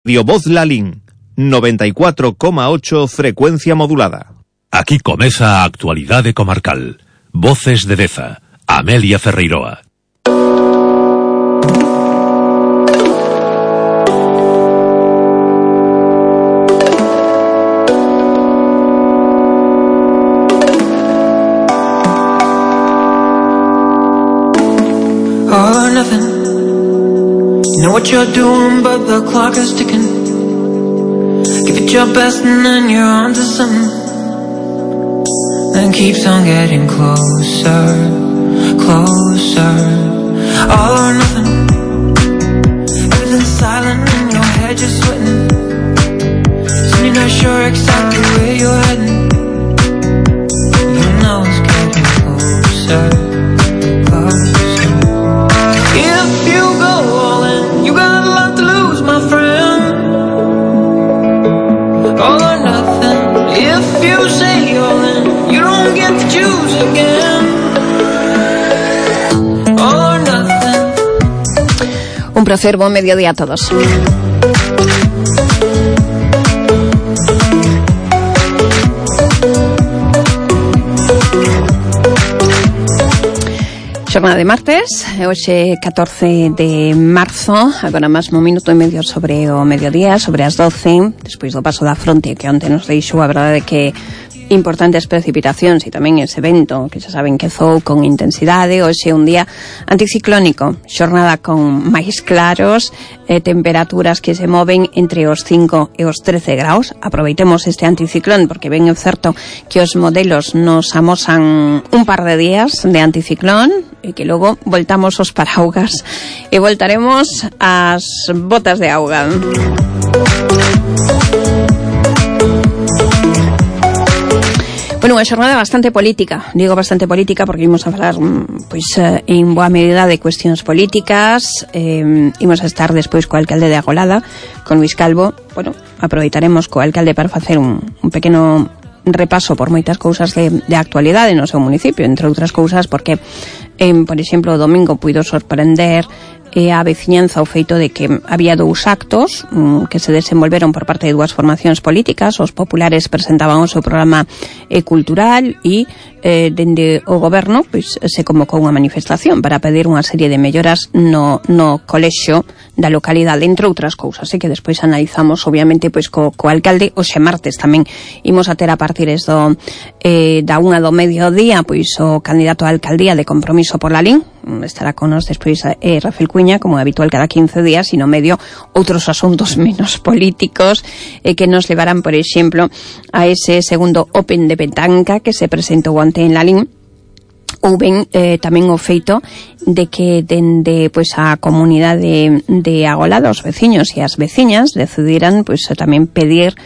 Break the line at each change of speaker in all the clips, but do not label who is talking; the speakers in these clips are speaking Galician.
Radio Voz Lalín, 94,8 frecuencia modulada.
Aquí comeza a actualidade comarcal. Voces de Deza, Amelia Ferreiroa.
All or nothing. You know what you're doing, but the clock is ticking. Give it your best and then you're on to something. Then keeps on getting closer, closer. All or nothing. Everything's silent in your head, you're sweating. Soon you're not sure exactly where you're heading. You know it's getting closer, closer. If you go all in, you got a lot to lose, my friend. All or nothing. If you say all in, you don't get to choose again. All or nothing.
Un placer, buen mediodía a todos. Xornada de martes, hoxe 14 de marzo, agora mesmo un minuto e medio sobre o mediodía, sobre as 12, despois do paso da fronte que onte nos deixou, a verdade é que importantes precipitacións e tamén ese vento que xa saben que zou con intensidade. Hoxe un día anticiclónico, xornada con máis claros, temperaturas que se moven entre os 5 e os 13 graus. Aproveitemos este anticiclón porque ben é certo que os modelos nos amosan un par de días de anticiclón e que logo voltamos os paraugas e voltaremos as botas de auga. Bueno, unha xornada bastante política. Digo bastante política porque imos a falar en boa medida de cuestións políticas. Imos a estar despois co alcalde de Agolada, con Luis Calvo. Bueno, aproveitaremos co alcalde para facer un pequeno repaso por moitas cousas de actualidade no seu municipio, entre outras cousas porque, por exemplo, o domingo puido sorprender a veciñanza o feito de que había dous actos que se desenvolveron por parte de dúas formacións políticas. Os populares presentaban o seu programa cultural e dende o goberno se convocou unha manifestación para pedir unha serie de melloras no colexio da localidade, entre outras cousas, que despois analizamos obviamente co alcalde. Hoxe martes tamén imos a ter a partir da 1 do mediodía o candidato a alcaldía de Compromiso por Lalín. Estará con nos despois Rafael Cuña, como é habitual cada 15 días, e no medio outros asuntos menos políticos que nos levarán, por exemplo, a ese segundo Open de petanca que se presentou onte en Lalín. Ou ben tamén o feito de que dende a comunidade de Agolada, os veciños e as veciñas decidiran tamén pedir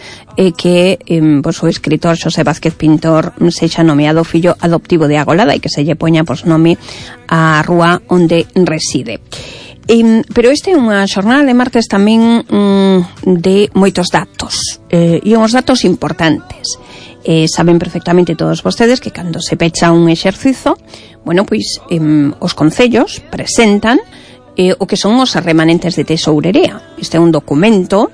que o escritor Xosé Vázquez Pintor sexa nomeado fillo adoptivo de Agolada e que se lle poña nome á rúa onde reside. Pero este é unha xornada de martes tamén de moitos datos e uns datos importantes. Saben perfectamente todos vostedes que cando se pecha un exercizo, os concellos presentan o que son os remanentes de tesourería. Este é un documento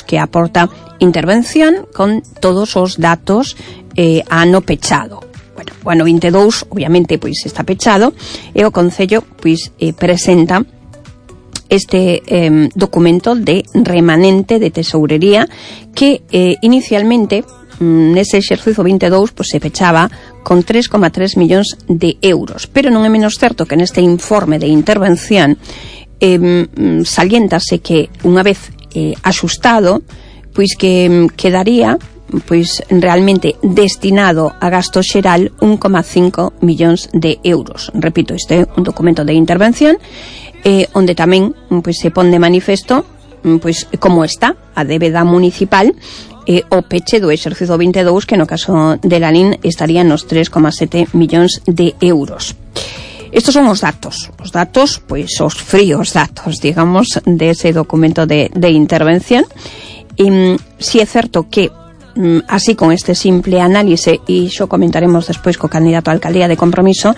que aporta intervención con todos os datos ano pechado. O ano 22, obviamente, está pechado e o concello presenta este documento de remanente de tesourería que inicialmente nese exercizo 22 se pechaba con 3,3 millóns de euros, pero non é menos certo que neste informe de intervención saliéntase que unha vez axustado que quedaría realmente destinado a gasto xeral 1,5 millóns de euros. Repito, este é un documento de intervención onde tamén se pon de manifesto como está a débeda municipal o peche do exercizo 22, que no caso de Lalín estaría nos 3,7 millóns de euros. Estos son os datos, os fríos datos, digamos, dese documento de intervención. Si é certo que así con este simple análise, e xo comentaremos despois co candidato a alcaldía de Compromiso,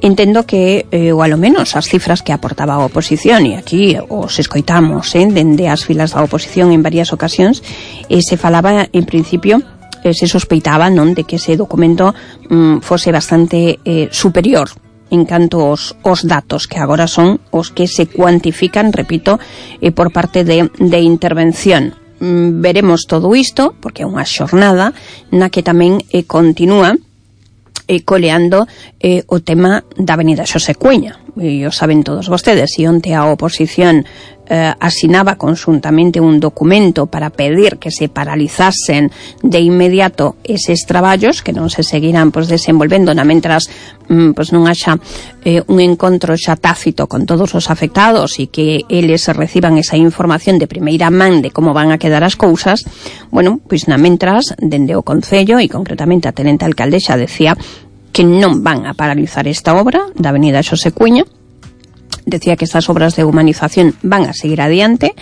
Entendo que, ou alo menos as cifras que aportaba a oposición, e aquí os escoitamos dende as filas da oposición en varias ocasións, se falaba en principio, se sospeitaba non de que ese documento fose bastante superior en canto os datos que agora son os que se cuantifican, repito, por parte de intervención. Veremos todo isto, porque é unha xornada na que tamén continúa coleando o tema da Avenida Xosé Cueña. E o saben todos vostedes, e onte a oposición asinaba conxuntamente un documento para pedir que se paralizasen de inmediato eses traballos, que non se seguirán desenvolvendo mentras non haxa un encontro xa tácito con todos os afectados e que eles reciban esa información de primeira man de como van a quedar as cousas. Bueno, pois mentras, dende o Concello e concretamente a tenente alcaldesa decía que non van a paralizar esta obra da Avenida Xosé Cueña. Decía que estas obras de humanización van a seguir adiante,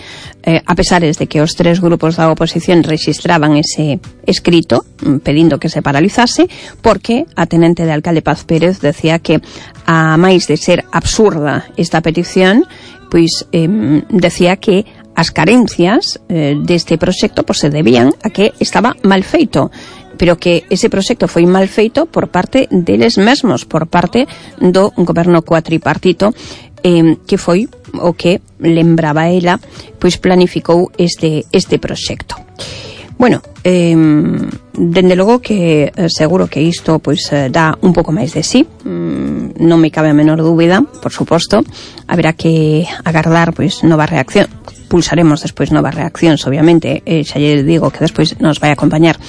a pesar de que os tres grupos da oposición registraban ese escrito pedindo que se paralizase, porque a tenente de alcalde Paz Pérez decía que, a máis de ser absurda esta petición, pois decía que as carencias deste proxecto se debían a que estaba mal feito, pero que ese proxecto foi mal feito por parte deles mesmos, por parte do goberno cuatripartito, que foi o que, lembraba ela, pois planificou este proxecto. Bueno, dende logo que seguro que isto dá un pouco máis de sí, non me cabe a menor dúbida, por suposto. Haberá que agardar nova reacción. Pulsaremos despois novas reaccións, obviamente, xa lle digo que despois nos vai acompañar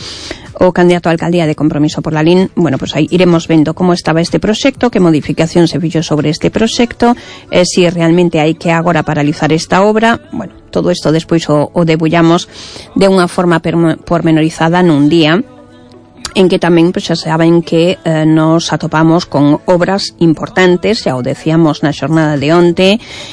o candidato a alcaldía de Compromiso por la LIN. Bueno, aí iremos vendo como estaba este proxecto, que modificación se fixo sobre este proxecto, si realmente hai que agora paralizar esta obra. Bueno, todo isto despois o debullamos de unha forma pormenorizada nun día en que tamén xa saben que nos atopamos con obras importantes, xa o decíamos na xornada de onte,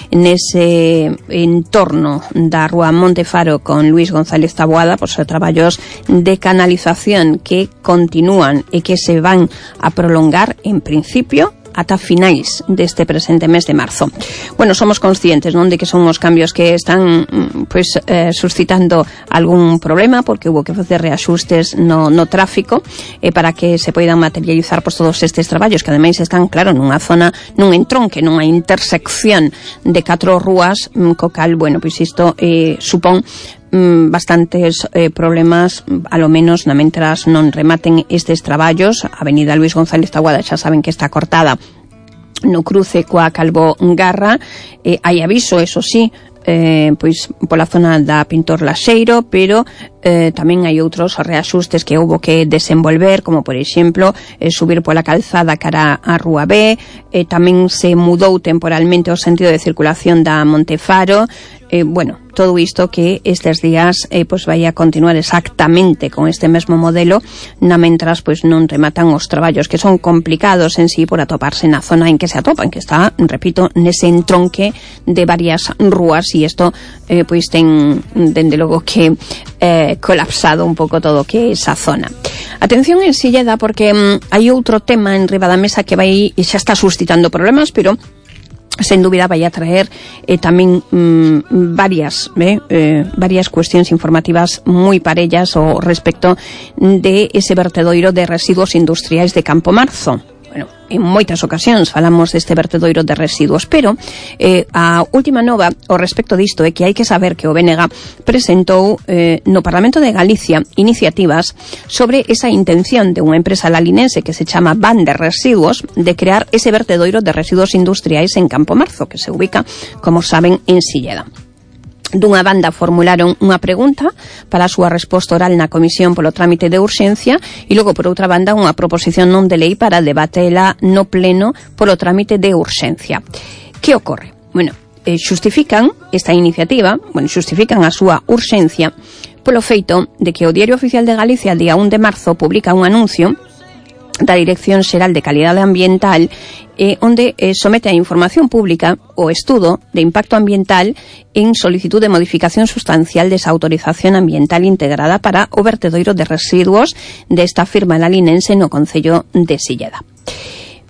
nese entorno da Rúa Montefaro con Luis González Taboada, traballos de canalización que continúan e que se van a prolongar en principio ata finais deste presente mes de marzo. Bueno, somos conscientes, non, de que son os cambios que están suscitando algún problema, porque hubo que facer reaxustes no tráfico para que se poidan materializar todos estes traballos, que ademais están, claro, nunha zona, nun entronque, nunha intersección de 4 rúas, co cal, bueno, isto supón bastantes problemas, a lo menos mentras non rematen estes traballos. A Avenida Luis González Taboada xa saben que está cortada no cruce coa Calvo Garra. Hai aviso, eso sí, pola zona da Pintor Laxeiro, pero tamén hai outros reaxustes que houbo que desenvolver, como por exemplo subir pola calzada cara a Rúa B. Tamén se mudou temporalmente o sentido de circulación da Montefaro. Bueno, todo isto que estes días vai a continuar exactamente con este mesmo modelo, mentras non rematan os traballos, que son complicados en sí por atoparse na zona en que se atopan, que está, repito, nese entronque de varias rúas, e isto ten, dende logo que colapsado un pouco todo que esa zona. Atención en Silleda, porque hai outro tema en riba da mesa que vai e xa está suscitando problemas, pero sen dúbida vai a traer tamén varias cuestións informativas moi parellas ao respecto de ese vertedoiro de residuos industriais de Campo Marzo. Bueno, en moitas ocasións falamos deste vertedoiro de residuos, pero a última nova ao respecto disto é que hai que saber que o BNG presentou no Parlamento de Galicia iniciativas sobre esa intención de unha empresa lalinense que se chama Van de Residuos de crear ese vertedoiro de residuos industriais en Campo Marzo, que se ubica, como saben, en Silleda. Dunha banda formularon unha pregunta para a súa resposta oral na comisión polo trámite de urxencia, e logo por outra banda unha proposición non de lei para debatela no pleno polo trámite de urxencia. Que ocorre? Bueno, xustifican esta iniciativa, xustifican a súa urxencia polo feito de que o Diario Oficial de Galicia, día 1 de marzo, publica un anuncio da Dirección Xeral de Calidade Ambiental onde somete a información pública o estudo de impacto ambiental en solicitud de modificación sustancial desa autorización ambiental integrada para o vertedoiro de residuos desta firma lalinense no concello de Silleda.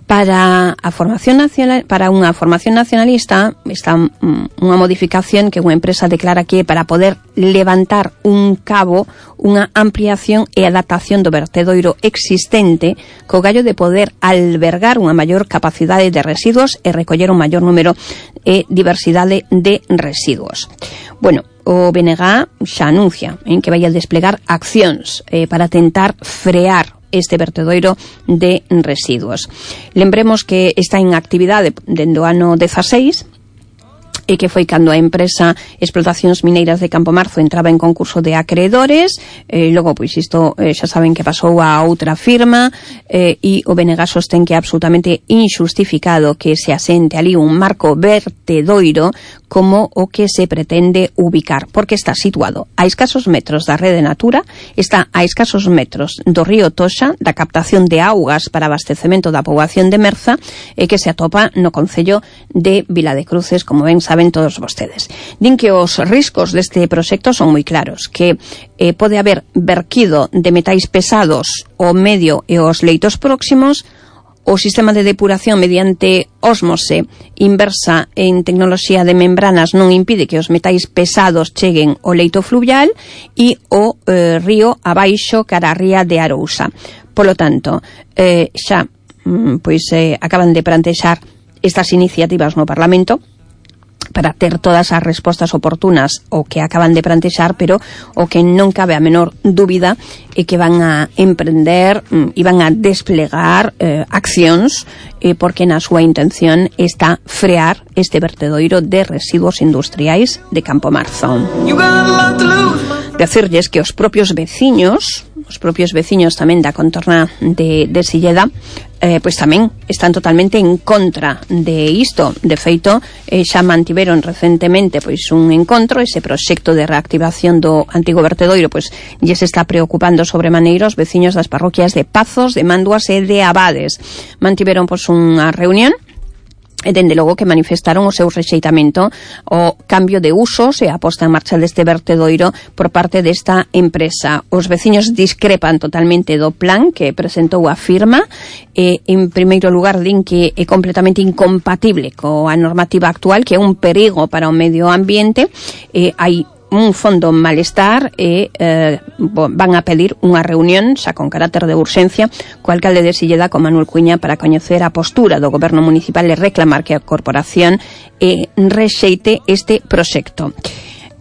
Para a formación nacional, para unha formación nacionalista, está unha modificación que unha empresa declara que para poder levantar un cabo, unha ampliación e adaptación do vertedoiro existente co gallo de poder albergar unha maior capacidade de residuos e recoller un maior número e diversidade de residuos. Bueno, o BNG xa anuncia que vai a desplegar accións para tentar frear este vertedoiro de residuos. Lembremos que está en actividade dende o ano 16 e que foi cando a empresa Explotacións Mineiras de Campomarzo entraba en concurso de acreedores, logo pois isto xa saben que pasou a outra firma, e o BNG sostén que é absolutamente injustificado que se asente ali un marco vertedoiro como o que se pretende ubicar, porque está situado a escasos metros da rede Natura, está a escasos metros do río Toxa, da captación de augas para abastecemento da poboación de Merza, e que se atopa no concello de Vila de Cruces, como ben saben todos vostedes. Din que os riscos deste proxecto son moi claros, que pode haber verquido de metais pesados ao medio e aos leitos próximos. O sistema de depuración mediante ósmose inversa en tecnoloxía de membranas non impide que os metais pesados cheguen ao leito fluvial e o río abaixo cara a ría de Arousa. Polo tanto, xa acaban de plantexar estas iniciativas no Parlamento para ter todas as respostas oportunas o que acaban de plantexar, pero o que non cabe a menor dúbida é que van a emprender e van a desplegar accións porque na súa intención está frear este vertedoiro de residuos industriais de Campomarzo. Decirlles que os propios veciños tamén da contorna de Silleda, pois tamén están totalmente en contra de isto. De feito, xa mantiveron recentemente pois un encontro, ese proxecto de reactivación do antigo vertedoiro, pois lles está preocupando sobremaneira os veciños das parroquias de Pazos, de Manduas e de Abades. Mantiveron pois unha reunión e dende logo que manifestaron o seu rexeitamento ao cambio de usos e a posta en marcha deste vertedoiro por parte desta empresa. Os veciños discrepan totalmente do plan que presentou a firma e, en primeiro lugar, din que é completamente incompatible coa normativa actual, que é un perigo para o medio ambiente. Hai un fondo malestar e van a pedir unha reunión xa con carácter de urxencia co alcalde de Silleda, con Manuel Cuña, para coñecer a postura do goberno municipal e reclamar que a corporación rexeite este proxecto.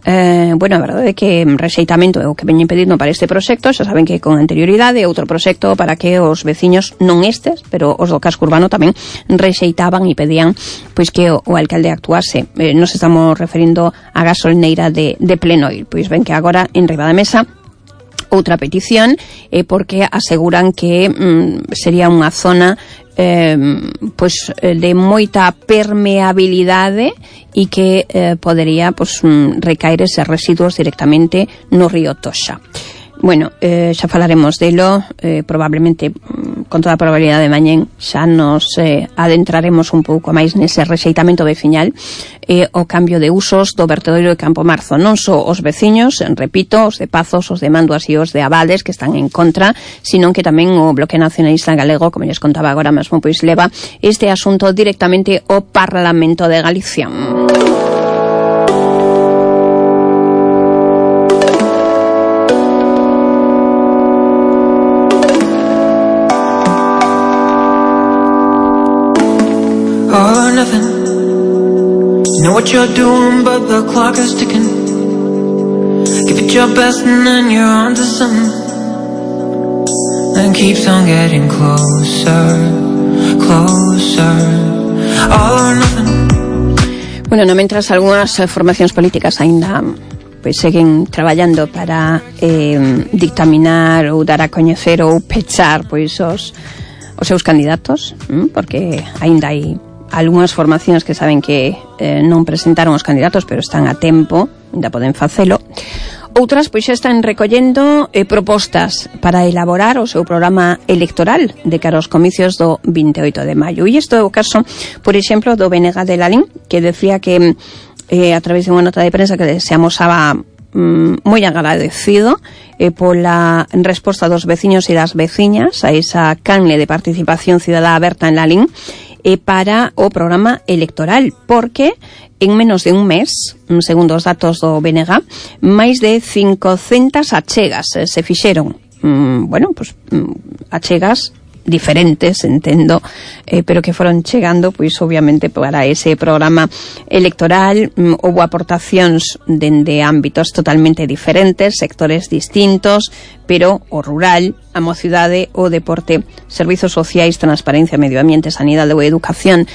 A verdade é que rexeitamento é o que veñen pedindo para este proxecto. Xa saben que con anterioridade outro proxecto para que os veciños, non estes, pero os do casco urbano tamén rexeitaban e pedían pois que o alcalde actuase. Nos estamos referindo a gasolineira de Plenoil. Pois ven que agora en riba da mesa outra petición porque aseguran que sería unha zona de moita permeabilidade e que podería recaer eses residuos directamente no río Toxa. Bueno, xa falaremos delo, probablemente, con toda a probabilidade de mañén, xa nos adentraremos un pouco máis nese rexeitamento veciñal e o cambio de usos do vertedoiro de Campomarzo. Non só os veciños, repito, os de Pazos, os de Manduas e os de Abades, que están en contra, sino que tamén o Bloque Nacionalista Galego, como lles contaba agora mesmo, pois leva este asunto directamente ao Parlamento de Galicia.
Know what you're doing, but the clock is ticking. Give it your best and then you're on to something. And keeps on getting closer, closer. All or nothing.
Bueno, no mentras algunhas formacións políticas aínda pois seguen traballando para dictaminar ou dar a coñecer ou pechar pois os seus candidatos, porque aínda hai algunhas formacións que saben que non presentaron os candidatos, pero están a tempo, ainda poden facelo. Outras pois xa están recollendo propostas para elaborar o seu programa electoral de cara aos comicios do 28 de maio. E isto é o caso, por exemplo, do BNG de Lalín, que decía que a través de unha nota de prensa que se amosaba moi agradecido pola resposta dos veciños e das veciñas a esa canle de participación cidadá aberta en Lalín para o programa electoral, porque en menos de un mes, segundo os datos do BNG, máis de 500 achegas se fixeron. Achegas diferentes, entendo, pero que foron chegando, pois obviamente para ese programa electoral. Houbo aportacións dende ámbitos totalmente diferentes, sectores distintos, pero o rural, a mocidade, o deporte, servizos sociais, transparencia, medio ambiente, sanidade ou educación,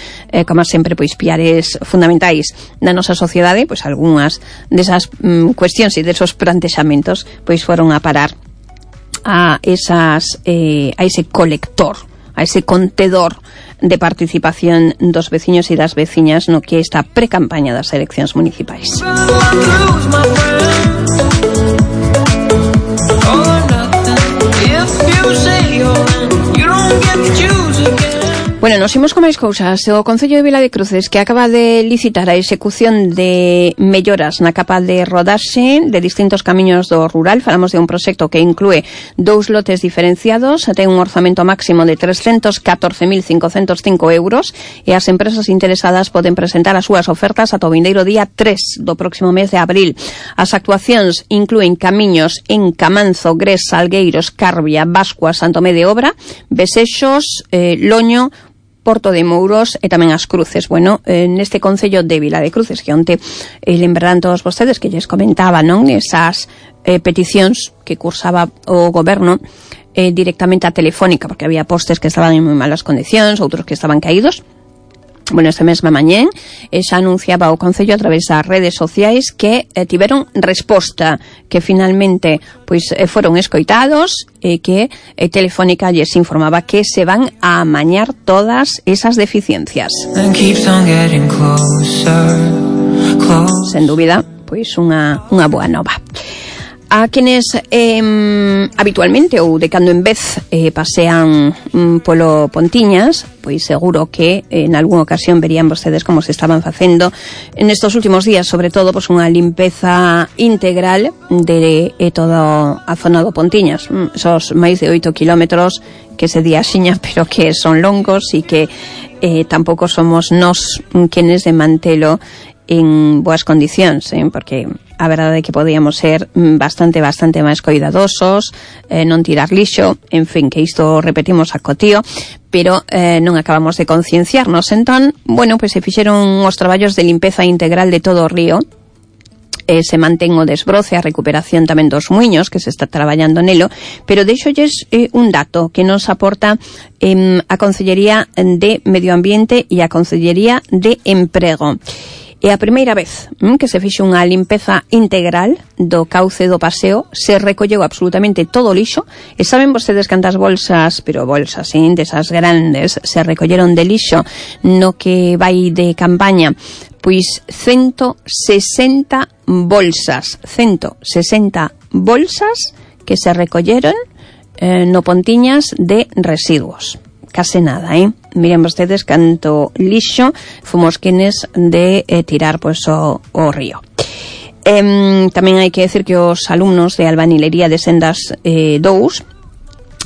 como sempre, pois piares fundamentais da nosa sociedade. Pois algunhas desas cuestións e desos plantexamentos pois foron a parar a ese colector, a ese contedor de participación dos veciños e das veciñas no que esta precampaña das eleccións municipais. Bueno, nos imos con máis cousas. O Concello de Viladecruces, que acaba de licitar a execución de melloras na capa de rodaxe de distintos camiños do rural. Falamos de un proxecto que inclúe 2 lotes diferenciados, ten un orzamento máximo de 314.505 euros e as empresas interesadas poden presentar as súas ofertas ata o vindeiro día 3 do próximo mes de abril. As actuacións inclúen camiños en Camanzo, Gres, Salgueiros, Carbia, Bascua, Santomé de Obra, Besexos, Loño, Porto de Mouros e tamén as Cruces. Bueno, neste Concello de Viladecruces, que onte lembrarán todos vostedes que lles comentaba, non? Esas peticións que cursaba o goberno directamente a Telefónica, porque había postes que estaban en moi malas condicións, outros que estaban caídos. Bueno, esta mesma mañén xa anunciaba o Concello a través das redes sociais que tiveron resposta, que finalmente pois foron escoitados e que Telefónica lles informaba que se van a amañar todas esas deficiencias. Sen dúbida, pois unha boa nova. A quenes habitualmente ou de cando en vez pasean polo Pontiñas, pois seguro que en algunha ocasión verían vostedes como se estaban facendo en estos últimos días, sobre todo pois unha limpeza integral de toda a zona do Pontiñas. Esos máis de 8 kilómetros que se di axiña, pero que son longos e que tampouco somos nós quenes de mantelo en boas condicións, porque a verdade é que podíamos ser bastante máis cuidadosos, non tirar lixo, en fin, que isto repetimos a cotío, pero non acabamos de concienciarnos. Entón, bueno, pois se fixeron os traballos de limpeza integral de todo o río, se mantén o desbroce, a recuperación tamén dos muiños, que se está traballando nelo, pero deixolles un dato que nos aporta a Consellería de Medio Ambiente e a Consellería de Emprego. É a primeira vez que se fixe unha limpeza integral do cauce do paseo, se recolleu absolutamente todo o lixo, e saben vostedes cantas bolsas, pero bolsas, desas grandes, se recolleron de lixo no que vai de campaña? Pois 160 bolsas que se recolleron no Pontiñas de residuos. Case nada, Miren vostedes canto lixo fomos quenes de tirar pois o río. Tamén hai que decir que os alumnos de Albanilería de Sendas 2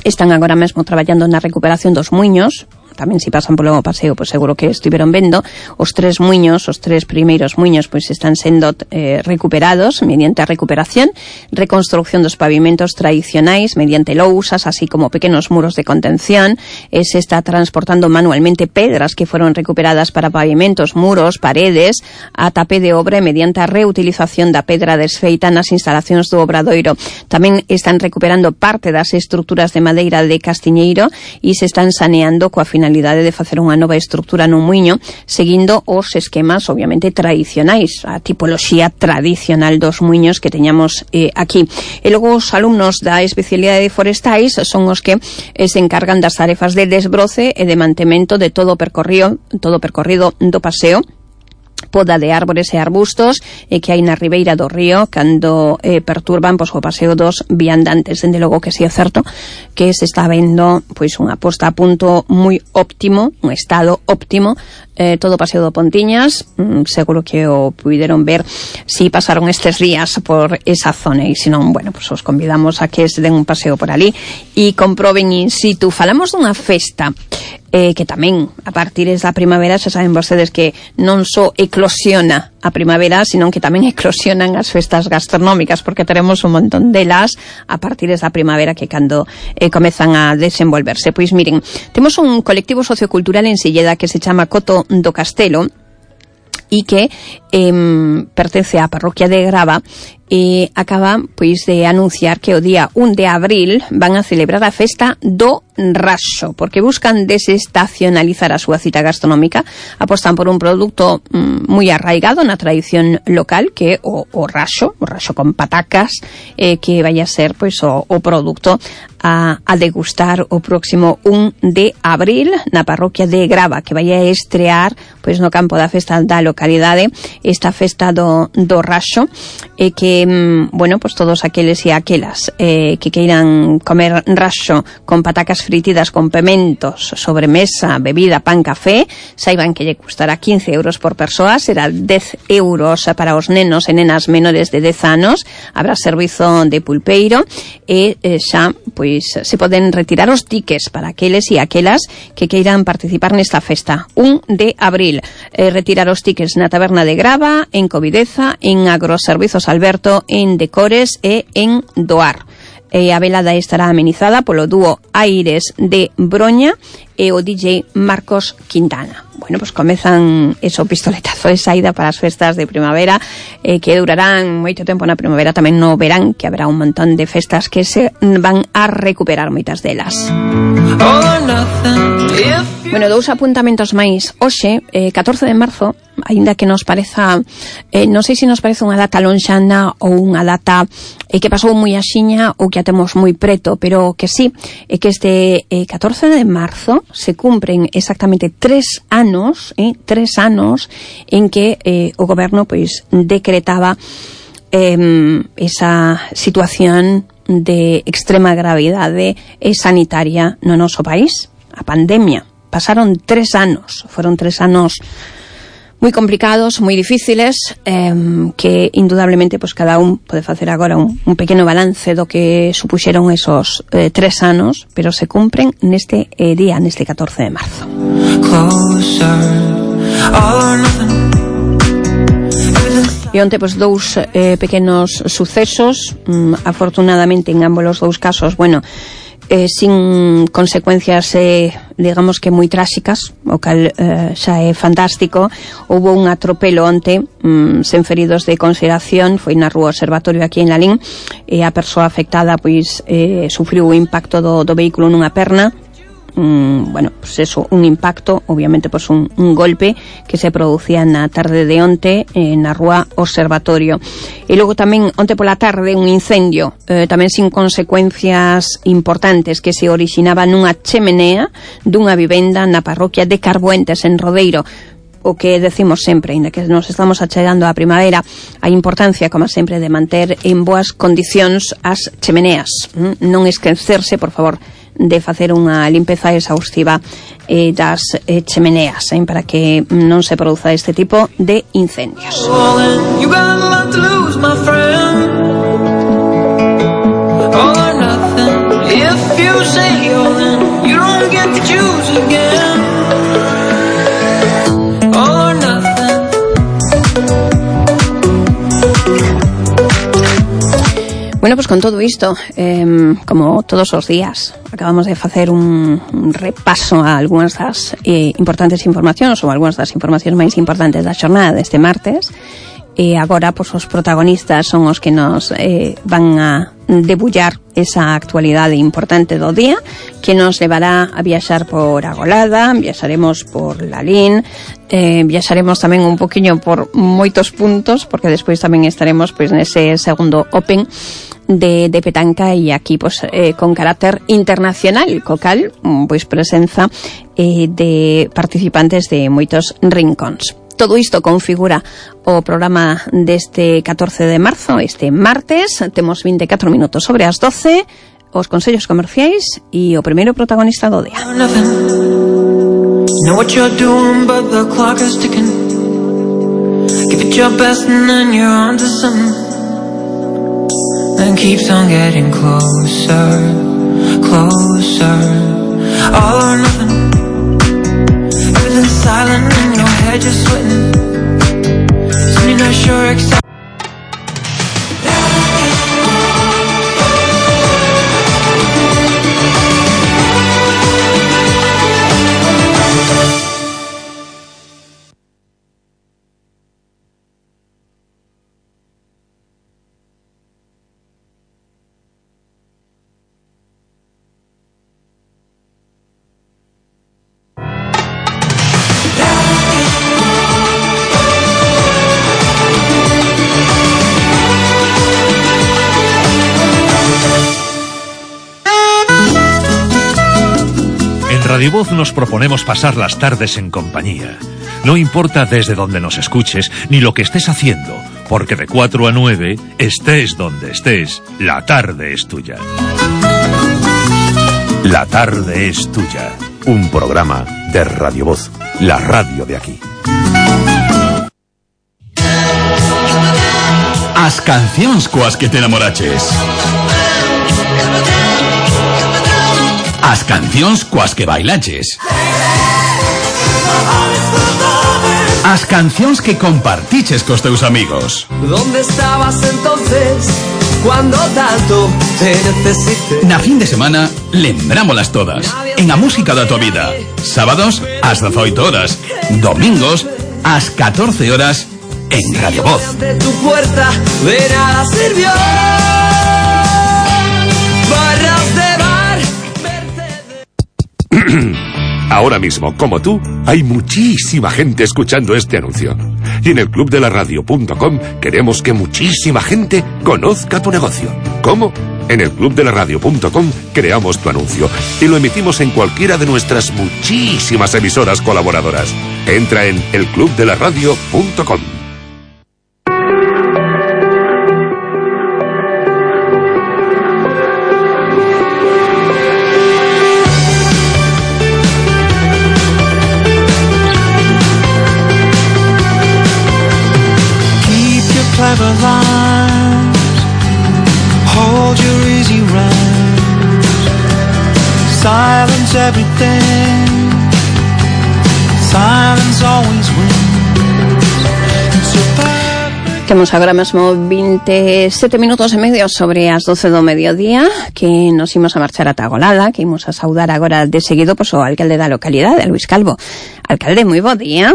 están agora mesmo traballando na recuperación dos muiños. Tamén se pasan polo paseo, pois seguro que estiveron vendo os 3 muiños, os 3 primeiros muiños, pois están sendo recuperados mediante a recuperación, reconstrucción dos pavimentos tradicionais mediante lousas, así como pequenos muros de contención. Se está transportando manualmente pedras que foron recuperadas para pavimentos, muros, paredes, a tapé de obra mediante a reutilización da pedra desfeita nas instalacións do Obradoiro. Tamén están recuperando parte das estruturas de madeira de Castiñeiro e se están saneando coa finalidade de facer unha nova estrutura nun muiño, seguindo os esquemas obviamente tradicionais, a tipoloxía tradicional dos muiños que teñamos aquí. E logo os alumnos da especialidade de forestais son os que se encargan das tarefas de desbroce e de mantemento de todo o percorrido do paseo, poda de árbores e arbustos que hai na ribeira do río cando perturban pois o paseo dos viandantes. Dende logo que si é certo que se está vendo pois unha posta a punto moi óptimo, un estado óptimo todo o Paseo do Pontiñas, seguro que o puideron ver si pasaron estes días por esa zona, e se non, bueno, pues os convidamos a que se den un paseo por ali e comproben in situ. Falamos dunha festa que tamén a partir da primavera, xa saben vostedes que non só eclosiona a primavera, sino que tamén eclosionan as festas gastronómicas, porque teremos un montón delas a partir da primavera, que cando comezan a desenvolverse. Pois miren, temos un colectivo sociocultural en Silleda que se chama Coto do Castelo e que pertence á parroquia de Grava, e acaba pois de anunciar que o día 1 de abril van a celebrar a festa do raxo, porque buscan desestacionalizar a súa cita gastronómica. Apostan por un produto moi arraigado na tradición local, que é o raxo con patacas, que vai a ser pois o produto a degustar o próximo 1 de abril na parroquia de Grava, que vai a estrear pois no campo da festa da localidade esta festa do raxo, que bueno, pues todos aqueles e aquelas que queiran comer raxo con patacas fritidas con pementos, sobremesa, bebida, pan, café, saiban que lle custará 15 euros por persoa, será 10 euros para os nenos e nenas menores de 10 anos, habrá servizo de pulpeiro, e xa pois se poden retirar os tickets para aqueles e aquelas que queiran participar nesta festa 1 de abril. Retirar os tickets na taberna de Grava, en Covideza, en Agroservizos Alberto, en Decores e en Doar. A velada estará amenizada polo dúo Aires de Broña e o DJ Marcos Quintana. Bueno, pues comezan eso, pistoletazo de saída para as festas de primavera, que durarán moito tempo na primavera, tamén no verán, que haberá un montón de festas que se van a recuperar, moitas delas. Bueno, dous apuntamentos máis. Hoxe, 14 de marzo, aínda que nos pareza, non sei se nos parece unha data lonxana ou unha data que pasou moi axiña ou que a temos moi preto, pero que sí, é que este 14 de marzo se cumpren exactamente 3 anos en que o goberno pois decretaba esa situación de extrema gravidade sanitaria no noso país, a pandemia. Pasaron 3 anos, foron 3 anos moi complicados, moi difíciles, que indudablemente pues cada un pode facer agora un pequeno balance do que supuxeron esos 3 anos, pero se cumpren neste día, neste 14 de marzo. E onte, pues, dous pequenos sucesos, afortunadamente en ambos os dous casos, bueno, sin consecuencias digamos que moi tráxicas, o cal xa é fantástico. Houbo un atropelo onte, sen feridos de consideración, foi na Rúa Observatorio aquí en Lalín, e a persoa afectada pois sufriu o impacto do vehículo nunha perna. Bueno, pues eso, un impacto, obviamente pues un golpe que se producía na tarde de onte na Rúa Observatorio. E logo tamén onte pola tarde un incendio, tamén sin consecuencias importantes, que se orixinaba nunha chemenea dunha vivenda na parroquia de Carbuentes, en Rodeiro. O que decimos sempre, ainda que nos estamos achegando á primavera, a importancia, como sempre, de manter en boas condicións as chemeneas. Non esquecerse, por favor, de facer unha limpeza exhaustiva das chemeneas, para que non se produza este tipo de incendios. Bueno, pues con todo isto, como todos os días, acabamos de facer un repaso a algunhas das importantes informacións, ou algunhas das informacións máis importantes da xornada deste martes, e agora, pues, os protagonistas son os que nos van a debullar esa actualidade importante do día, que nos levará a viaxar por Agolada, viaxaremos por Lalín, viaxaremos tamén un poquinho por moitos puntos, porque despois tamén estaremos pois nese segundo Open de petanca, e aquí pues con carácter internacional, co cal pois presenza de participantes de moitos rincóns. Todo isto configura o programa deste 14 de marzo, este martes. Temos 24 minutos sobre as 12, os consellos comerciais e o primeiro protagonista do día.
Know what you're doing, but the clock is ticking. Give it your best and then you're onto something. And keeps on getting closer, closer. All or nothing. Everything's silent and your head just sweating. So you're not sure exactly.
Radio Voz nos proponemos pasar las tardes en compañía. No importa desde donde nos escuches ni lo que estés haciendo, porque de 4 a 9, estés donde estés, la tarde es tuya. La tarde es tuya. Un programa de Radio Voz, la radio de aquí.
As cancións coas que te enamoraches. As cancións coas que bailaches. As cancións que compartiches cos teus amigos.
¿Dónde estabas entonces cuando tanto te necesité?
Na fin de semana, lembrámolas todas. En a música da tua vida. Sábados, ás 18 horas. Domingos, ás 14 horas, en Radio Voz.
Ante tu puerta de nada sirvió. Barras de bar.
Ahora mismo, como tú, hay muchísima gente escuchando este anuncio. Y en el clubdelaradio.com queremos que muchísima gente conozca tu negocio. ¿Cómo? En el clubdelaradio.com creamos tu anuncio y lo emitimos en cualquiera de nuestras muchísimas emisoras colaboradoras. Entra en elclubdelaradio.com.
Clever lines, hold your easy rhymes, silence everything, silence always wins.
Temos agora mesmo 27 minutos e medio sobre as 12 do mediodía, que nos imos a marchar ata Agolada, que imos a saudar agora de seguido pois o alcalde da localidade, Luis Calvo. Alcalde, moi bo día.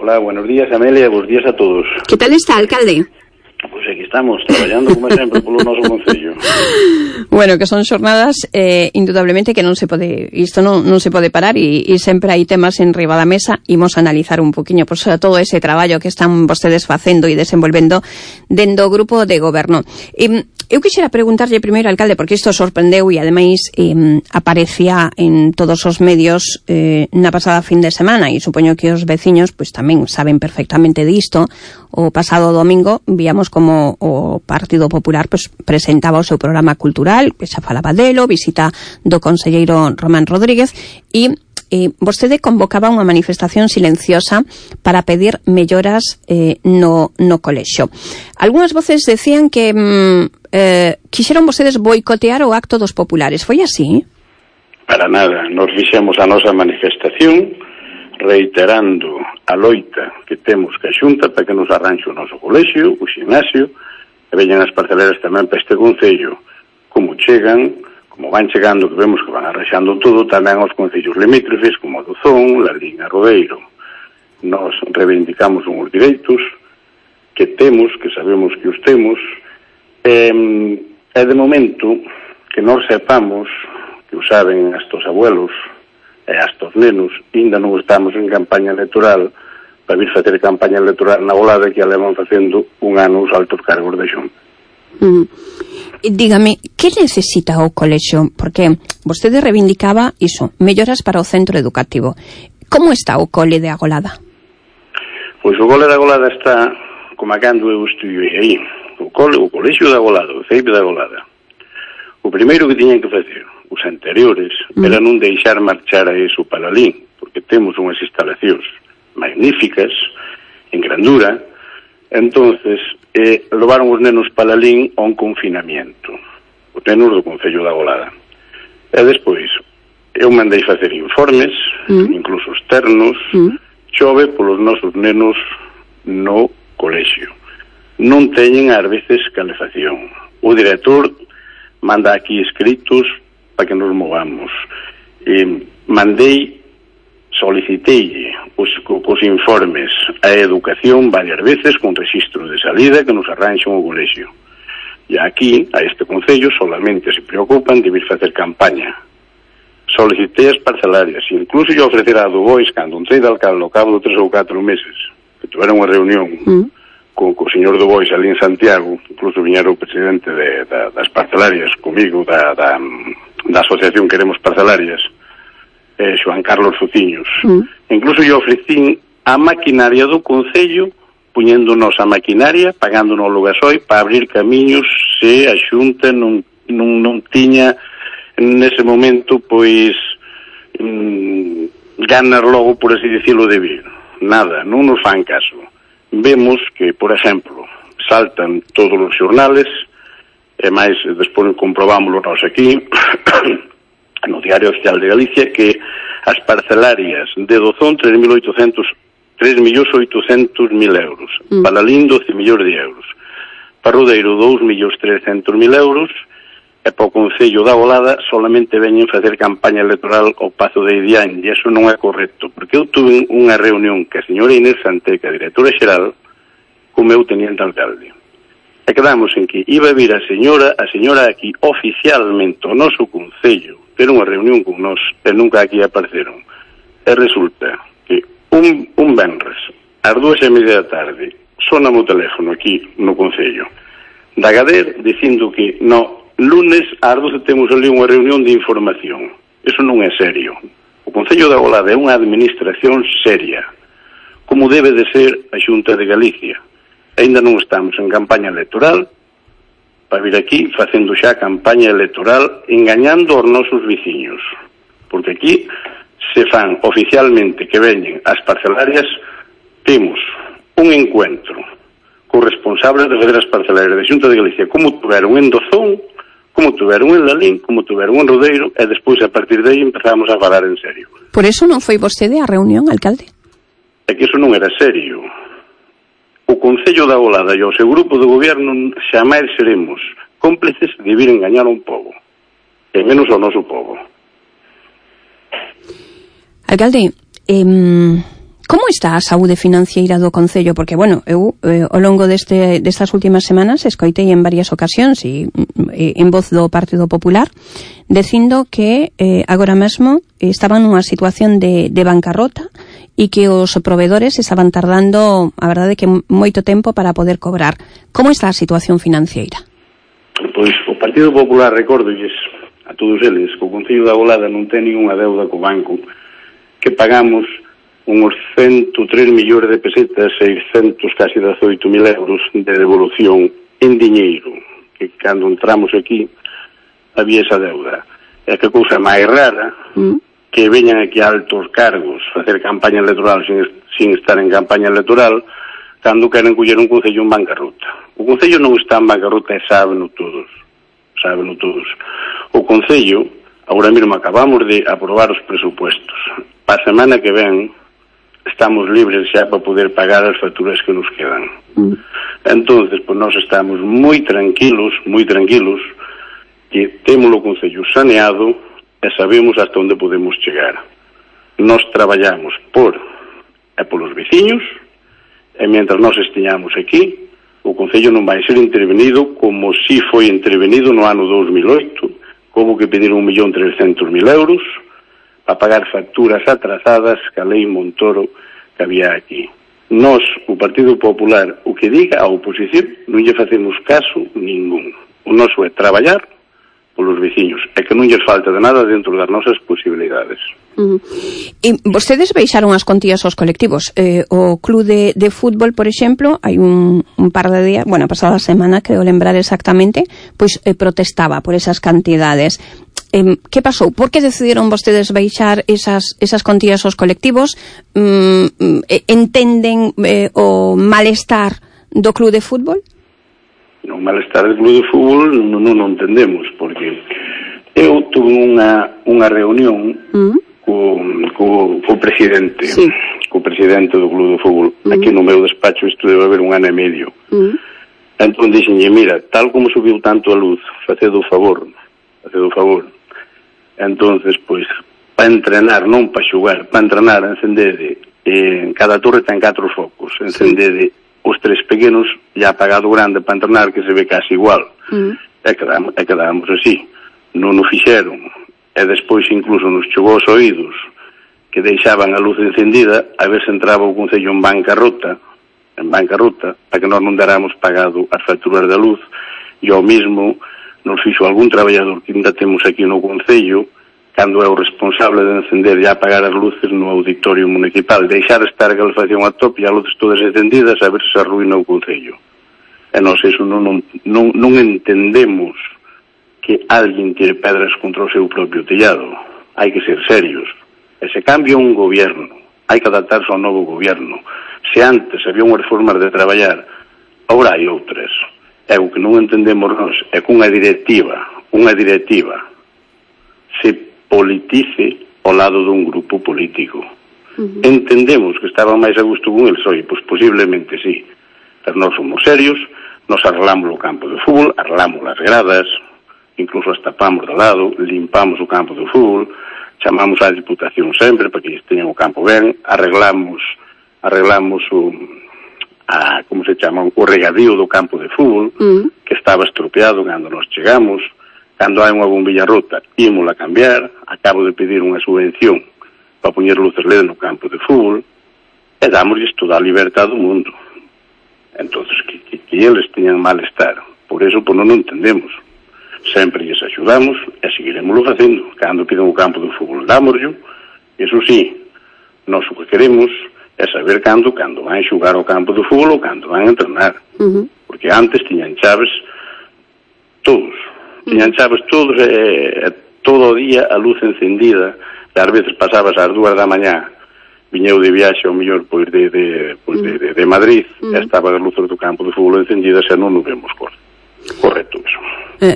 Hola, buenos días, Amelia, buenos días a todos.
Que tal está, alcalde?
Pois aquí estamos, traballando como sempre polo noso concello.
Bueno, que son xornadas indudablemente que non se pode, isto non se pode parar e sempre hai temas en riba da mesa. Imos a analizar un poquinho pois, todo ese traballo que están vostedes facendo e desenvolvendo dentro do grupo de goberno. Eu quixera preguntarlle primeiro, alcalde, porque isto sorprendeu e ademais aparecía en todos os medios na pasada fin de semana e supoño que os veciños pois tamén saben perfectamente disto. O pasado domingo víamos como o Partido Popular pois presentaba o seu programa cultural, que xa falaba delo, visita do conselleiro Román Rodríguez e vostede convocaba unha manifestación silenciosa para pedir melloras no colexio. Algúnas voces decían que quixeron vostedes boicotear o acto dos populares. Foi así?
Para nada, nos fixemos a nosa manifestación reiterando a loita que temos que a Xunta para que nos arranxe o noso colexio, o ximnasio, e veñan as parceleras tamén para este concello. Como chegan, como van chegando, que vemos que van arranxando todo, tamén aos concellos limítrofes, como Dozón, Lalín e Rodeiro. Nos reivindicamos uns direitos que temos, que sabemos que os temos, e de momento que nós sepamos, que o saben estos abuelos e estos nenos, ainda non estamos en campaña electoral para vir facer campaña electoral na Agolada, que a levan facendo un ano os altos cargos de Xunta.
Dígame, que necesita o colexio? Porque vostede reivindicaba iso, melloras para o centro educativo. Como está o cole de Agolada?
Pois o cole de Agolada está como a cando eu estudiei aí. O colexio de Agolada, o CEIP de Agolada. O primeiro que tiñan que facer os anteriores era non deixar marchar a eso para Lalín, porque temos unhas instalacións magníficas, en grandura. Entonces levaron os nenos para Lalín a un confinamiento, os nenos do Concello da Golada, e despois eu mandei facer informes, incluso externos. Chove polos nosos nenos no colexio, non teñen ás veces calefacción, o director manda aquí escritos para que nos movamos. Solicitei os informes a educación varias veces con registro de salida que nos arranxan o colexio. E aquí, a este concello, solamente se preocupan de vir facer campaña. Solicitei as parcelarias, incluso yo ofrecer a do Bois, cando entrei de alcalde ao cabo de 3 ou 4 meses, que tuveron unha reunión co señor do Bois ali en Santiago, incluso viñera o presidente das parcelarias comigo, da asociación Queremos Parcelarias, Xoan Carlos Fuciños. Incluso yo ofrecín a maquinaria do concello, puñéndonos a maquinaria, pagándonos o gasoi para abrir camiños se a Xunta non tiña nese momento, pois, ganas logo, por así dicirlo, de vir. Nada, non nos fan caso. Vemos que, por exemplo, saltan todos os xornales, e máis, despois comprobámoslo nós aquí, no Diario Oficial de Galicia, que as parcelarias de Dozón, 3.800.000 euros. Para Lalín, 12 millóns de euros. Para Rodeiro, 2.300.000 euros. E para o Concello da Golada solamente veñen facer campaña electoral ao Pazo de Idián, e iso non é correcto, porque eu tuve unha reunión que a señora Inés Santeca, directora xeral, co meu teniente alcalde, e quedamos en que iba a vir a señora aquí oficialmente ao noso Concello, ter unha reunión con nós, e nunca aquí apareceron. E resulta que un venres, ás 2:30 da tarde, sona o teléfono aquí no Concello da Gader, dicindo que lunes ás 12 temos ali unha reunión de información. Eso non é serio. O Concello da Golada é unha administración seria, como debe de ser a Xunta de Galicia. Ainda non estamos en campaña electoral para vir aquí facendo xa campaña electoral engañando aos nosos veciños, porque aquí se fan oficialmente que veñen as parcelarias. Temos un encuentro con responsables de fazer as parcelarias de Xunta de Galicia, como tuveron en Dozón, como tuveron en Lalín, como tuveron en Rodeiro, e despois, a partir de aí, empezamos a falar en serio.
Por eso non foi vostede á reunión, alcalde?
É que iso non era serio. O Concello da Golada e o seu grupo de goberno xamais seremos cómplices de vir engañar a un pobo, e menos ao noso pobo.
Alcalde, como está a saúde financeira do Concello? Porque, bueno, eu ao longo destas últimas semanas escoitei en varias ocasións e en voz do Partido Popular dicindo que agora mesmo estaban nunha situación de bancarrota e que os provedores estaban tardando, a verdade, que moito tempo para poder cobrar. Como está a situación financeira?
Pois o Partido Popular, recórdolles a todos eles, que o Concello da Golada non ten ninguna deuda co banco, que pagamos uns 103 millóns de pesetas, 600, casi 18.000 euros de devolución en diñeiro, que cando entramos aquí había esa deuda. É que cousa máis rara que veñan aquí altos cargos facer campaña electoral sin estar en campaña electoral cando queren coller un concello en bancarrota. O concello non está en bancarrota e sábeno todos. O concello, agora mesmo acabamos de aprobar os presupuestos. Para a semana que ven estamos libres xa para poder pagar as facturas que nos quedan. Entonces, pues nós estamos moi tranquilos que temos o concello saneado e sabemos hasta onde podemos chegar. Nós traballamos polos veciños, e mentras nós estiñamos aquí, o concello non vai ser intervenido como si foi intervenido no ano 2008, como que pedir 1.300.000 euros a pagar facturas atrasadas que a lei Montoro que había aquí. Nós, o Partido Popular, o que diga a oposición, non lle facemos caso ningún. O noso é traballar polos veciños, e que non lles falta de nada dentro das nosas posibilidades.
E vostedes baixaron as contías aos colectivos. O club de fútbol, por exemplo, hai un par de días, bueno, a pasada semana, creo lembrar exactamente, pois protestaba por esas cantidades. que pasou? Por que decidiron vostedes baixar esas contías aos colectivos? Entenden o malestar do club de fútbol?
O malestar do club de fútbol non entendemos, porque eu tuve unha reunión co presidente, co presidente do club de fútbol, aquí no meu despacho. Isto debe haber 1 ano e medio. Entón dixenlle, mira, tal como subiu tanto a luz, facedo o favor. Entonces, pois, para entrenar, non para xogar, para entrenar, encendede, en cada torre ten 4 focos, encendede os 3 pequenos e apagado grande para entrenar, que se ve casi igual. E quedamos así. Non o fixeron. E despois incluso nos chegou aos oídos que deixaban a luz encendida a ver se entraba o Concello en bancarrota, para que nós non daramos pagado as facturas da luz, e ao mesmo nos fixo algún traballador que ainda temos aquí no Concello, cando é o responsable de encender e apagar as luces no auditorio municipal, deixar estar a calefacción a tope e as luces todas encendidas, a ver se arruina o Concello. E nós eso non entendemos, que alguén tire pedras contra o seu propio tellado. Hai que ser serios. E se cambia un gobierno, hai que adaptarse ao novo gobierno. Se antes había unhas formas de traballar, agora hai outras. É o que non entendemos nós, é que unha directiva se politice ao lado dun grupo político. Entendemos que estaban máis a gusto con el, pois posiblemente sí, pero nós somos serios, nos arreglamos o campo de fútbol, arreglamos as gradas, incluso as tapamos de lado, limpamos o campo de fútbol, chamamos á Diputación sempre para que teñan o campo ben, arreglamos o regadío do campo de fútbol, que estaba estropeado cando nos chegamos. Cando hai unha bombilla rota, ímola cambiar. Acabo de pedir unha subvención para poñer luces LED no campo de fútbol, e damosles toda a libertad do mundo. Entonces, que eles teñan malestar, por eso non entendemos. Sempre lles axudamos e seguiremoslo facendo. Cando pidan o campo de fútbol, dámoslo. Eso sí, nós o que queremos é saber cando van xogar ao campo de fútbol ou cando van entrenar. Porque antes tiñan chaves todos, todo o día a luz encendida, e ás veces pasabas ás 2 da mañá, viñeu de viaxe ao mellor de Madrid, e estaba as luces do campo de fútbol encendidas e non nos vemos correcto eso.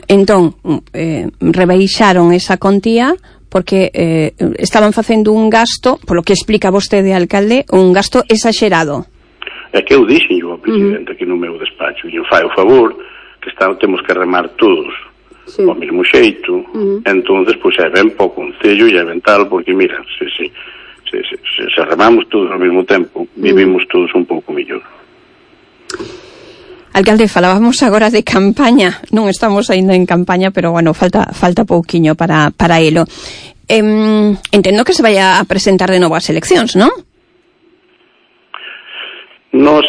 Entón, rebaixaron esa contía porque estaban facendo un gasto, polo que explica vostede, alcalde, un gasto exagerado.
É que eu dixen ao presidente aquí no meu despacho, e eu fai o favor que temos que remar todos ao mesmo xeito. Entonces, pois é ben para o Concello e é ben tal, porque mira, se remamos todos ao mesmo tempo, vivimos todos un pouco mellor.
Alcalde, falábamos agora de campaña, non estamos aínda en campaña, pero bueno, falta pouquiño para elo. Entendo que se vai a presentar de novo as eleccións, non?
Nos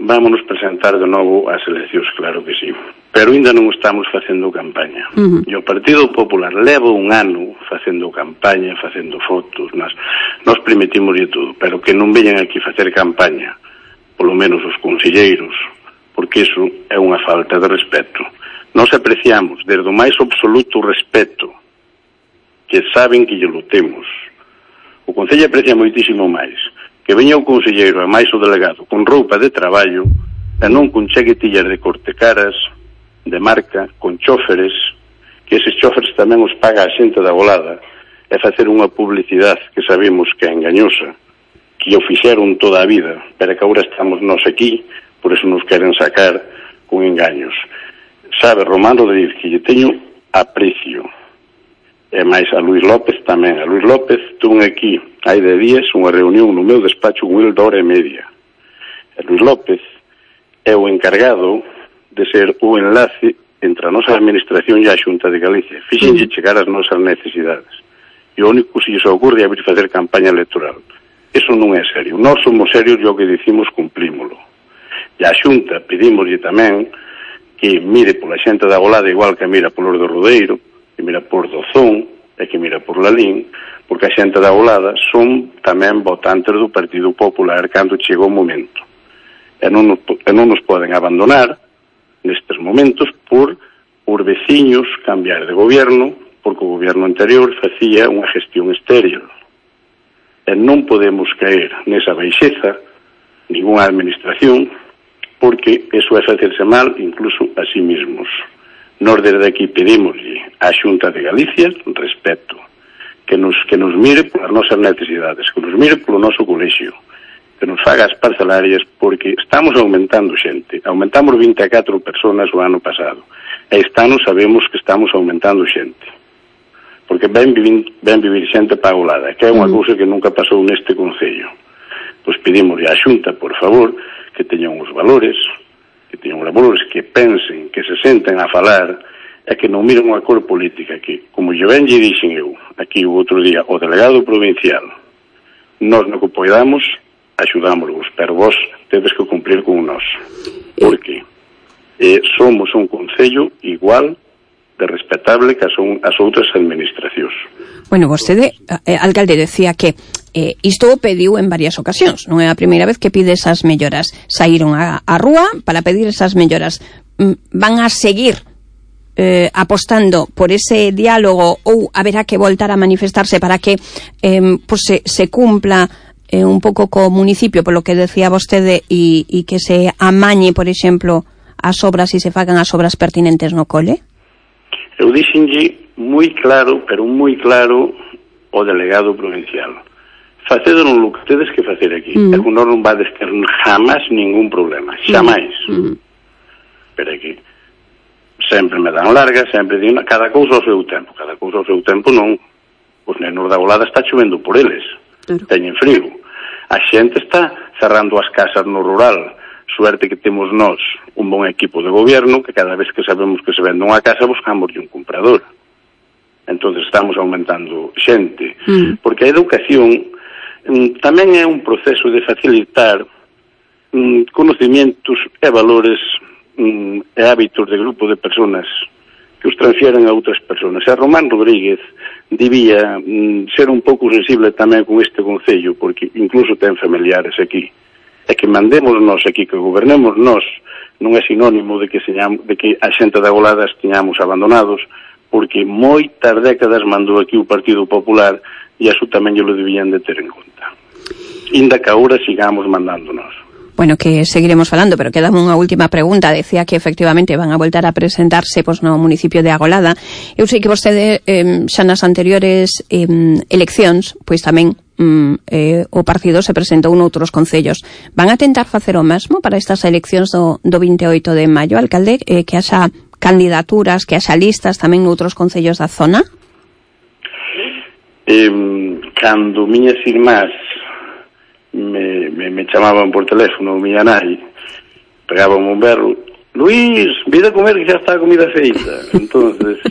vámonos presentar de novo ás eleccións, claro que sí, pero ainda non estamos facendo campaña. E o Partido Popular leva 1 ano facendo campaña, facendo fotos, nos permitimos de todo, pero que non veñan aquí facer campaña, polo menos os conselleiros, porque iso é unha falta de respeto. Nos apreciamos desde o máis absoluto respeto, que saben que lle lutemos. O Concello aprecia moitísimo máis que veña o conselleiro e máis o delegado con roupa de traballo e non con chaquetillas de cortecaras, de marca, con chóferes, que eses chóferes tamén os paga a xente da Golada, e facer unha publicidade que sabemos que é engañosa, que o fixeron toda a vida, pero que agora estamos nós aquí, por eso nos queren sacar con engaños. Sabe, Román Rodríguez, que lle teño aprecio, e máis a Luís López tamén. A Luís López tuve aquí hai de días unha reunión no meu despacho con el de hora e media. E Luís López é o encargado de ser o enlace entre a nosa administración e a Xunta de Galicia. Fíxense chegar as nosas necesidades. E o único que se lles ocurre é vir facer campaña electoral. Eso non é serio. Nós somos serios e o que dicimos cumprímolo. E a Xunta pedímoslle tamén que mire pola xente da Golada igual que mira polo do Rodeiro, que mira por Dozón e que mira por Lalín, porque a xente da Golada son tamén votantes do Partido Popular cando chega o momento. E non nos poden abandonar nestes momentos por veciños cambiar de gobierno, porque o goberno anterior facía unha gestión estéril. E non podemos caer nesa baixeza ninguna administración, porque eso é facerse mal incluso a sí mismos. Nós desde aquí pedimoslle á Xunta de Galicia respeto, que nos mire polas nosas necesidades, que nos mire polo noso colexio, que nos faga as parcelarias, porque estamos aumentando xente. Aumentamos 24 personas o ano pasado, e este ano sabemos que estamos aumentando xente, porque ven vivir xente pagolada, que é unha cousa que nunca pasou neste concello. Pois pedimos a Xunta, por favor, que teñan os valores, que pensen, que se senten a falar, e que non miren unha cor política, que, como yo ben lle dixen eu, aquí o outro día, o delegado provincial, nós no que poidamos, axudámosvos, pero vos tedes que cumprir con nós, porque somos un concello igual de respetable que as outras administracións.
Bueno, vostede, alcalde, decía que isto o pediu en varias ocasións, non é a primeira vez que pide esas melloras. Saíron á rúa para pedir esas melloras. Van a seguir apostando por ese diálogo, ou haberá que voltar a manifestarse para que se cumpla un pouco co municipio, polo que decía vostede, e que se amañe, por exemplo, as obras e se fagan as obras pertinentes no cole?
Eu dixenlle moi claro, pero moi claro, o delegado provincial. Facedo non lo que tedes que facer aquí. E con nós non vades ter jamás ningún problema. Xamais. Pero aquí sempre me dan larga, sempre digo, cada cousa ao seu tempo. Cada cousa ao seu tempo non. Os nenos da Golada está chovendo por eles. Teñen frío. A xente está cerrando as casas no rural. Suerte que temos nós un bon equipo de goberno, que cada vez que sabemos que se vende unha casa buscamos un comprador. Entonces estamos aumentando xente, porque a educación tamén é un proceso de facilitar conocimientos e valores e hábitos de grupo de personas que os transfieren a outras personas. E Román Rodríguez debía ser un pouco sensible tamén con este concello, porque incluso ten familiares aquí. E que mandemos nós aquí, que gobernemos nós, non é sinónimo de que a xente da Golada estiñamos abandonados, porque moitas décadas mandou aquí o Partido Popular e iso tamén lo debían de ter en conta. Inda que agora sigamos mandándonos.
Bueno, que seguiremos falando, pero quedame unha última pregunta. Decía que efectivamente van a voltar a presentarse no municipio de Agolada. Eu sei que vostede xa nas anteriores eleccións, pois tamén o partido se presentou noutros concellos. Van a tentar facer o mesmo para estas eleccións do 28 de maio, alcalde, que haxa candidaturas, que haxa listas tamén noutros concellos da zona?
Cando miñas irmás me chamaban por teléfono, miña nai, pegaban un berro, Luís, vida a comer que xa está a comida feita. Entonces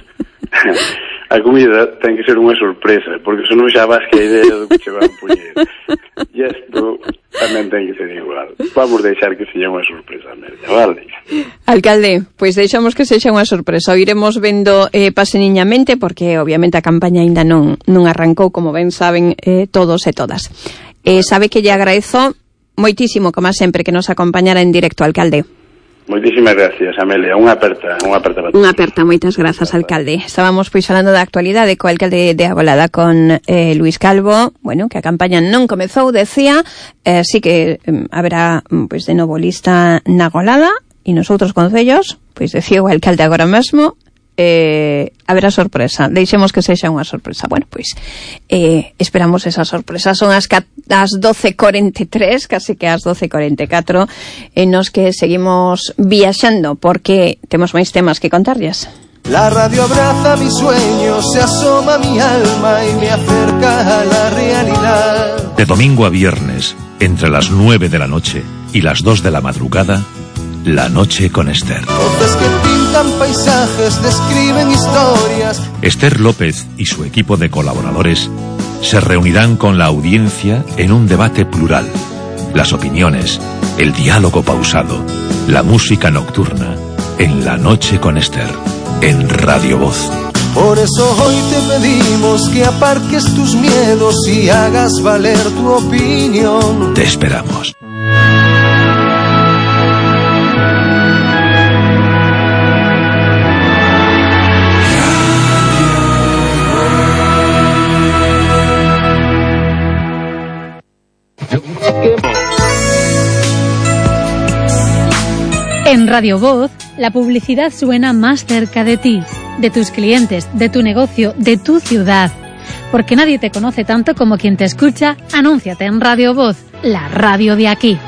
a comida ten que ser unha sorpresa, porque senón xa vas que a idea do que che van poñer. E isto tamén ten que ser igual. Vamos deixar que sexa unha sorpresa, Amelia, vale?
Alcalde, pois deixamos que sexa unha sorpresa. O iremos vendo paseniñamente, porque obviamente a campaña aínda non arrancou, como ben saben todos e todas. Sabe que lle agradezo moitísimo, como sempre, que nos acompañara en directo, alcalde.
Moitísimas gracias, Amelia. Unha aperta para todos.
Unha aperta, moitas grazas, alcalde. Estábamos pois falando da actualidade co alcalde de Agolada, con Luís Calvo, bueno, que a campaña non comezou, decía, sí que haberá pois de novo lista na Agolada e nos outros concellos, pois decía o alcalde agora mesmo, haberá sorpresa. Deixemos que sexa unha sorpresa. Bueno, pois esperamos esa sorpresa. Son as 12:43, casi que as 12:44, nos que seguimos viaxando, porque temos máis temas que contarlles.
La radio abraza mi sueño, se asoma mi alma y me acerca a la realidad.
De domingo a viernes, entre las 9 de la noche y las 2 de la madrugada, La Noche con Esther.
Voces que pintan paisajes, describen historias.
Esther López y su equipo de colaboradores se reunirán con la audiencia en un debate plural. Las opiniones, el diálogo pausado, la música nocturna, en La Noche con Esther, en Radio Voz.
Por eso hoy te pedimos que aparques tus miedos y hagas valer tu opinión.
Te esperamos.
En Radio Voz, la publicidad suena más cerca de ti, de tus clientes, de tu negocio, de tu ciudad. Porque nadie te conoce tanto como quien te escucha. Anúnciate en Radio Voz, la radio de aquí.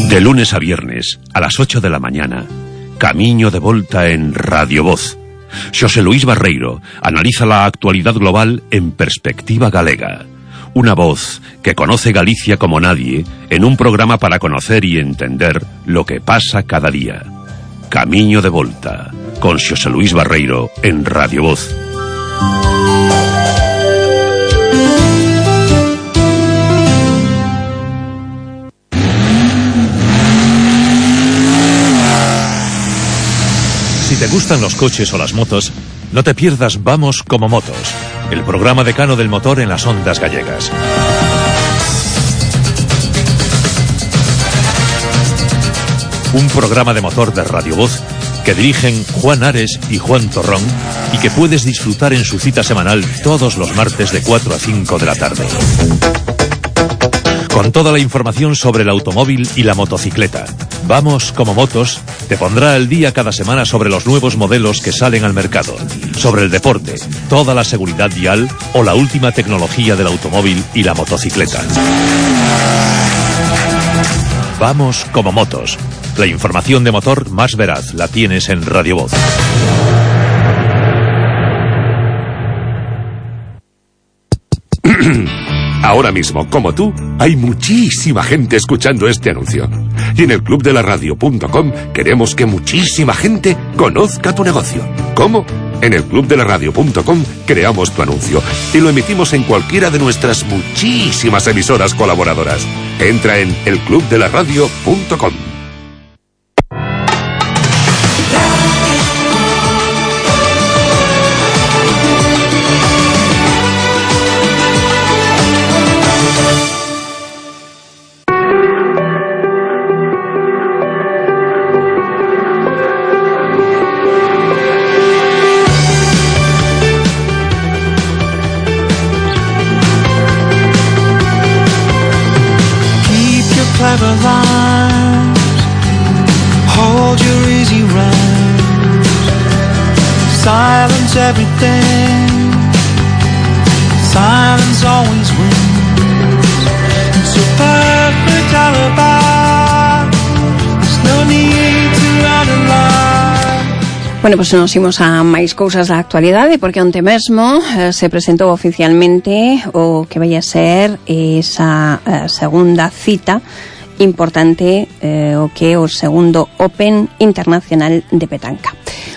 De lunes a viernes, a las 8 de la mañana, Camiño de Volta en Radio Voz. Xosé Luís Barreiro analiza la actualidad global en perspectiva galega. Una voz que conoce Galicia como nadie en un programa para conocer y entender lo que pasa cada día. Camiño de Volta, con Xosé Luís Barreiro en Radio Voz. Si te gustan los coches o las motos, no te pierdas Vamos como Motos, el programa decano del motor en las ondas gallegas. Un programa de motor de Radio Voz que dirigen Juan Ares y Juan Torrón y que puedes disfrutar en su cita semanal todos los martes de 4 a 5 de la tarde. Con toda la información sobre el automóvil y la motocicleta. Vamos como Motos te pondrá al día cada semana sobre los nuevos modelos que salen al mercado, sobre el deporte, toda la seguridad vial o la última tecnología del automóvil y la motocicleta. Vamos como Motos. La información de motor más veraz la tienes en Radio Voz.
Ahora mismo, como tú, hay muchísima gente escuchando este anuncio. Y en el clubdelaradio.com queremos que muchísima gente conozca tu negocio. ¿Cómo? En el clubdelaradio.com creamos tu anuncio y lo emitimos en cualquiera de nuestras muchísimas emisoras colaboradoras. Entra en elclubdelaradio.com.
Bueno, pues nos imos a máis cousas da actualidade, porque onte mesmo se presentou oficialmente o que vai a ser esa segunda cita importante, o que é o segundo Open Internacional de Petanca.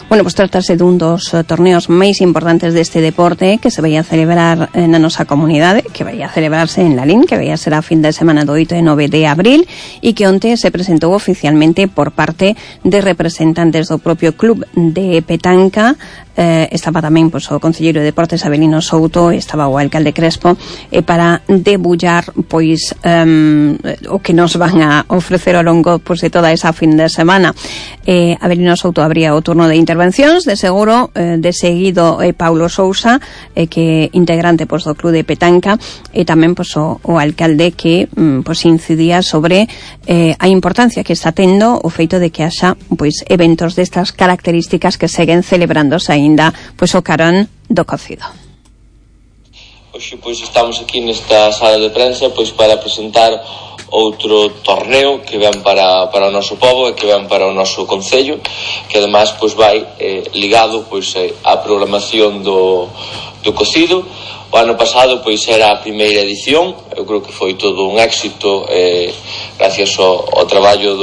Bueno, pues trátase dun dos torneos máis importantes deste deporte que se vai a celebrar na nosa comunidade, que vai a celebrarse en Lalín, que vai a ser a fin de semana do 8 e 9 de abril, e que onte se presentou oficialmente por parte de representantes do propio club de Petanca. Estaba tamén pois, o concelleiro de Deportes Avelino Souto, estaba o alcalde Crespo, para debullar pois o que nos van a ofrecer ao longo pois, de toda esa fin de semana. Avelino Souto abría o turno de intervencións, de seguro, de seguido Paulo Sousa, que é integrante pois, do club de Petanca, e tamén pois, o alcalde que pois, incidía sobre a importancia que está tendo o feito de que haxa pois, eventos destas características que seguen celebrándose aí pois o carón do cocido.
Hoxe pois estamos aquí nesta sala de prensa pois para presentar outro torneo que ven para o noso pobo e que ven para o noso concello, que además pois vai ligado pois á programación do cocido. O ano pasado pois era a primeira edición, eu creo que foi todo un éxito gracias ao traballo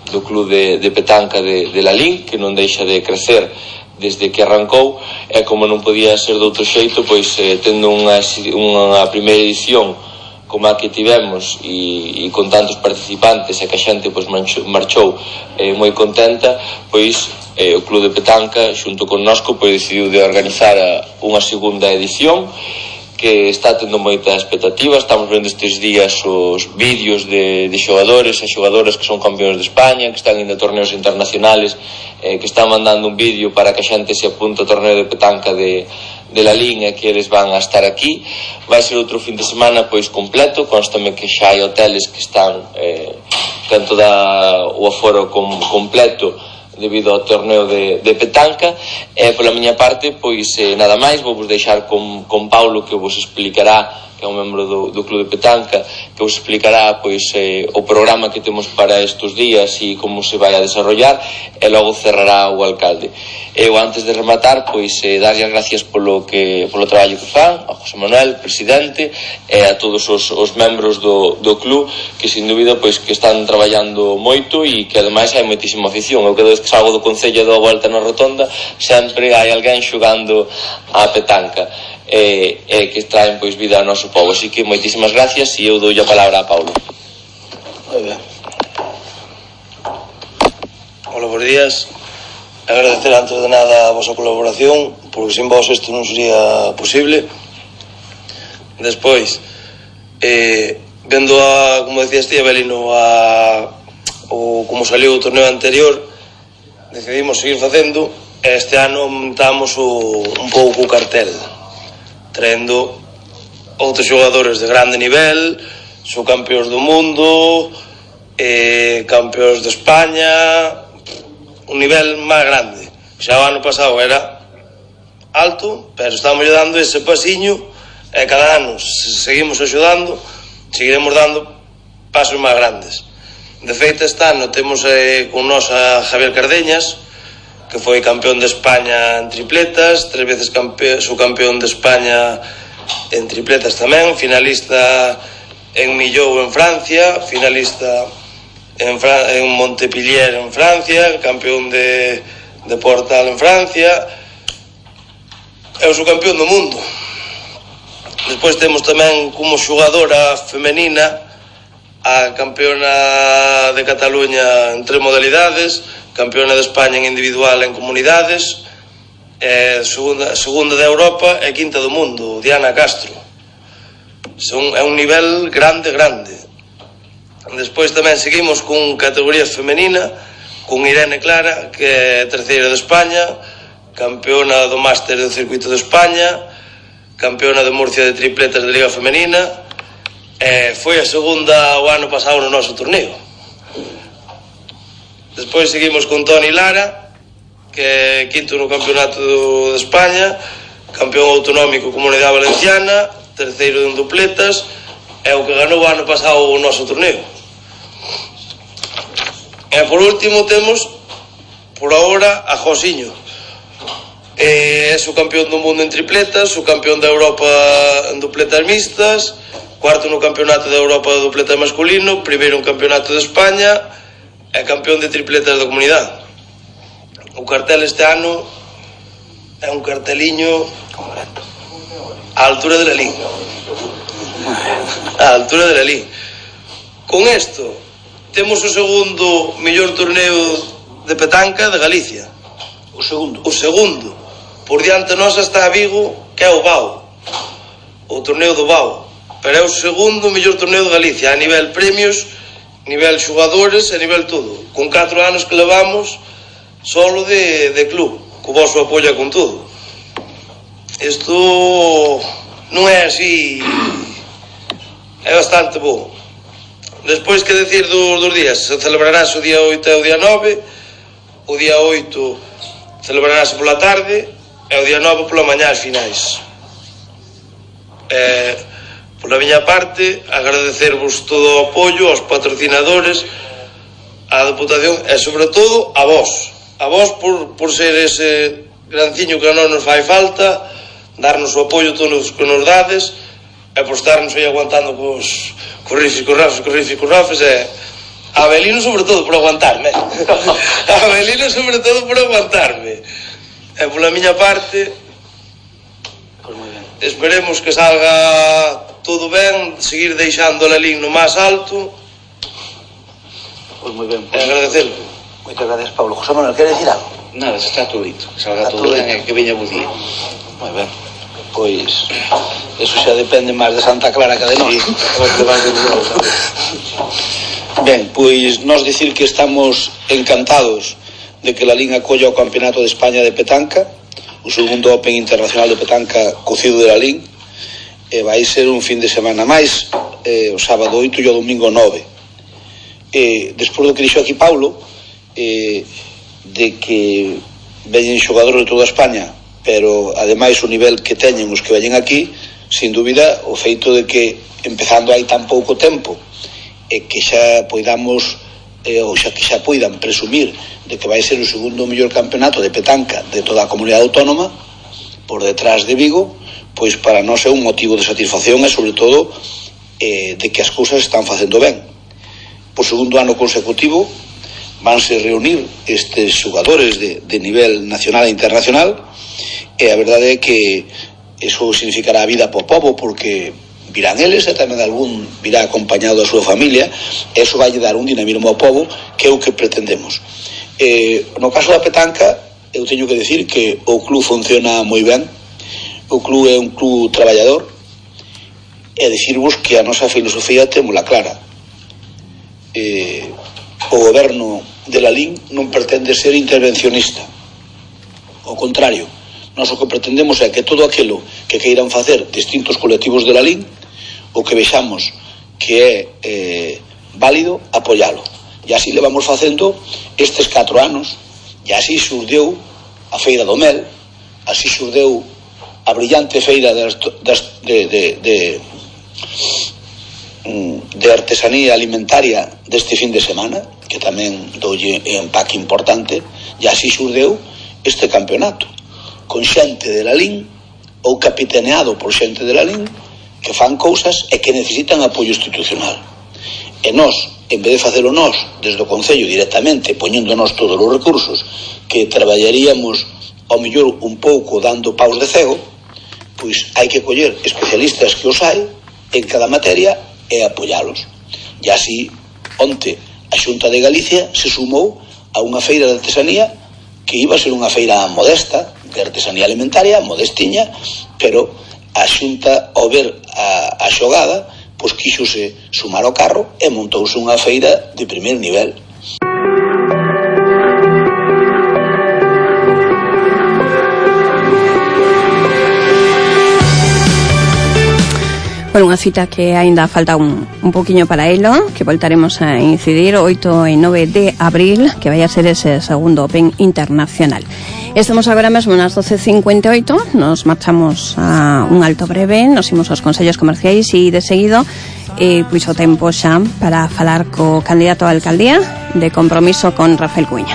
do club de Petanca de Lalín, que non deixa de crecer desde que arrancou, e como non podía ser de outro xeito, pois tendo unha primeira edición como a que tivemos e con tantos participantes e que a xente pois marchou moi contenta, pois o Club de Petanca xunto con nosco pois decidiu de organizar unha segunda edición que está tendo moita expectativa. Estamos vendo estes días os vídeos de xogadores e xogadoras que son campeóns de España, que están indo a torneos internacionales, que están mandando un vídeo para que a xente se apunte ao torneo de petanca de la línea, que eles van a estar aquí. Vai ser outro fin de semana pois completo, constame que xa hai hoteles que están tanto o aforo completo debido ao torneo de petanca. Pola miña parte, pois nada máis, vou vos deixar con Paulo, que vos explicará, que é un membro do Club de Petanca, que vos explicará pois o programa que temos para estes días e como se vai a desarrollar, e logo cerrará o alcalde. Eu, antes de rematar, pois darlle as gracias polo traballo que fan a José Manuel, presidente, e a todos os membros do club, que sin dúbida pois que están traballando moito e que ademais hai moitísima afición. Eu cada vez que salgo do Concello e dou a volta na rotonda, sempre hai alguén xogando a petanca, que traen pois vida ao noso povo. Así que moitísimas gracias e eu dou a palabra a Paulo.
Moi ben. Hola, bons días. Agradecer antes de nada a vosa colaboración, porque sin vos isto non sería posible. Despois, vendo como decía Estía Belino, como saliu o torneo anterior, decidimos seguir facendo. Este ano aumentamos un pouco o cartel, traendo outros xogadores de grande nivel, subcampeóns do mundo, campeóns de España, un nivel máis grande. Xa o ano pasado era alto, pero estamos dando ese pasiño, e cada ano seguimos axudando, seguiremos dando pasos máis grandes. De feito, este ano temos con nos a Javier Cardeñas, que foi campeón de España en tripletas, 3 veces subcampeón de España en tripletas tamén, finalista en Millau en Francia, finalista en Montpellier en Francia, campeón de Portal en Francia, é o subcampeón do mundo. Despois temos tamén como xogadora femenina a campeona de Cataluña en 3 modalidades, campeona de España en individual en comunidades, segunda de Europa e quinta do mundo, Diana Castro. É un nivel grande. Despois tamén seguimos con categoría femenina, con Irene Clara, que é terceira de España, campeona do máster do circuito de España, campeona de Murcia de tripletas de Liga Femenina, foi a segunda o ano pasado no noso torneo. Despois seguimos con Toni Lara, que é quinto no campeonato de España, campeón autonómico Comunidade Valenciana, terceiro en dupletas, é o que ganou o ano pasado o noso torneo. E por último temos por ahora a Josiño, é subcampeón do mundo en tripletas, subcampeón da Europa en dupletas mixtas, cuarto no campeonato da Europa de dupleta masculino, primeiro en campeonato de España e campeón de tripletas da comunidade. O cartel este ano é un carteliño á altura de Lalín, á altura de Lalín. Con isto temos o segundo mellor torneo de petanca de Galicia. O segundo. Por diante nosa está a Vigo, que é o BAO, o torneo do BAO, pero é o segundo mellor torneo de Galicia, a nivel premios, nivel xogadores e nivel todo, con 4 anos que levamos solo de club, co vosso apoio con todo. Isto non é así, é bastante bo. Despois, que decir dos días? Se celebrarás o día 8 e o día 9. O día 8 celebrarás pola tarde e o día 9 pola mañá as finais. Pola miña parte, agradecervos todo o apoio aos patrocinadores, á Deputación e sobre todo a vos por ser ese granciño que a non nos fai falta, darnos o apoio todos que nos dades e por estarnos aí aguantando cos rifis, e a Belino sobre todo por aguantarme. E pola miña parte, esperemos que salga todo ben, seguir deixando a Lalín no máis alto.
Pois moi ben.
E agradecerlo.
Moitas gracias, Pablo. José Manuel, quere decir algo?
Nada, se está todo dito. Que salga todo ben e que veña bo día.
Moi ben. pois eso xa depende máis de Santa Clara que de nós. Ben, pois nós dicir que estamos encantados de que Lalín acolla o Campeonato de España de Petanca, o segundo Open Internacional de Petanca cocido de Lalín, e vai ser un fin de semana máis, o sábado 8 e o domingo 9. Despois do que dixo aquí Paulo, de que veñen xogadores de toda España, pero ademais o nivel que teñen os que veñen aquí, sin dúbida o feito de que empezando hai tan pouco tempo e que xa poidamos ou xa que xa poidan presumir de que vai ser o segundo mellor campeonato de petanca de toda a comunidade autónoma por detrás de Vigo, pois para nós é un motivo de satisfacción e sobre todo de que as cousas están facendo ben. Por segundo ano consecutivo vanse reunir estes xogadores de nivel nacional e internacional, e a verdade é que eso significará a vida para o pobo, porque virán eles e tamén algún virá acompañado da súa familia, e eso vai dar un dinamismo ao pobo que é o que pretendemos. No caso da petanca, eu teño que decir que o club funciona moi ben, o club é un club traballador, e dicirvos que a nosa filosofía témola clara. O goberno de Lalín non pretende ser intervencionista, ao contrario, nós o que pretendemos é que todo aquilo que queiran facer distintos colectivos de Lalín, o que vexamos que é válido, apoialo. E así le vamos facendo estes 4 anos, e así xurdeu a Feira do Mel, así xurdeu a brillante feira de artesanía alimentaria deste fin de semana, que tamén doulle un empaque importante, e así xurdeu este campeonato, con xente de Lalín ou capitaneado por xente de Lalín que fan cousas e que necesitan apoio institucional. E nós, en vez de facelo nós desde o Concello directamente, poñéndonos todos os recursos que traballaríamos ao mellor un pouco dando paus de cego, pois hai que coller especialistas que os hai en cada materia e apoialos. E así, onte, a Xunta de Galicia se sumou a unha feira de artesanía que iba a ser unha feira modesta, de artesanía alimentaria, modestiña, pero a Xunta, ao ver a xogada, pois quíxose sumar ao carro e montouse unha feira de primer nivel.
Bueno, unha cita que aínda falta un poquinho para elo, que voltaremos a incidir 8 e 9 de abril, que vai a ser ese segundo Open Internacional. Estamos agora mesmo nas 12:58, nos marchamos a un alto breve, nos imos aos consellos comerciais e de seguido pois o tempo xa para falar co candidato a alcaldía de Compromiso con Rafael Cuña.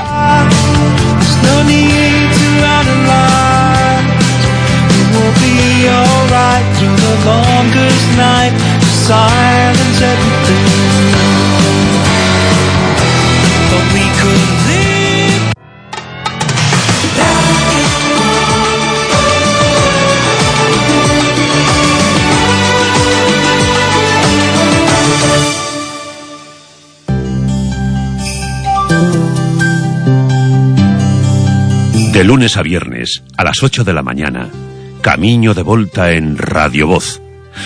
De lunes a viernes, a las 8 de la mañana, Camiño de Volta en Radio Voz.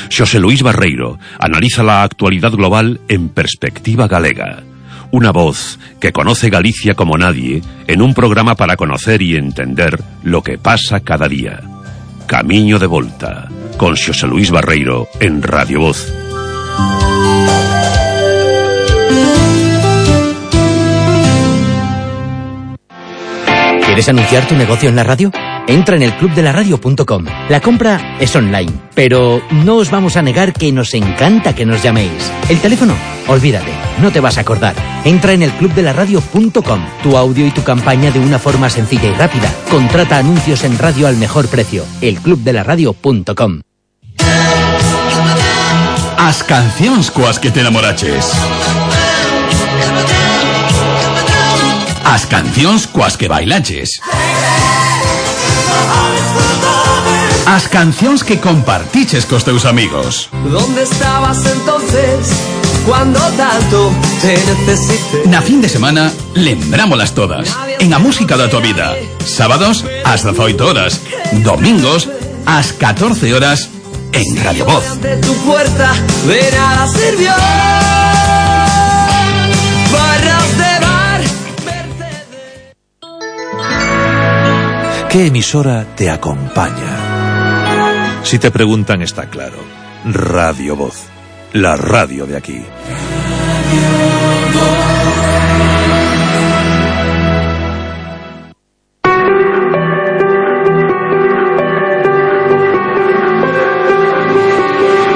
Xosé Luís Barreiro analiza la actualidad global en perspectiva galega. Una voz que conoce Galicia como nadie en un programa para conocer y entender lo que pasa cada día. Camiño de Volta, con Xosé Luís Barreiro en Radio Voz.
¿Quieres anunciar tu negocio en la radio? Entra en elclubdelaradio.com. La compra es online, pero no os vamos a negar que nos encanta que nos llaméis. El teléfono, olvídate, no te vas a acordar. Entra en elclubdelaradio.com. Tu audio y tu campaña de una forma sencilla y rápida. Contrata anuncios en radio al mejor precio. elclubdelaradio.com.
As cancións coas que te enamoraches. As cancións coas que bailaches. As cancións que compartiches cos teus amigos.
¿Dónde estabas entonces cuando tanto te necesité?
Na fin de semana, lembrámolas todas. En a música da tua vida. Sábados, ás 18 horas. Domingos, a las 14 horas en Radio Voz.
Ante tu puerta de nada sirvió. Barras de bar.
¿Qué emisora te acompaña? Si te preguntan, está claro. Radio Voz, la radio de aquí.
Radio Voz.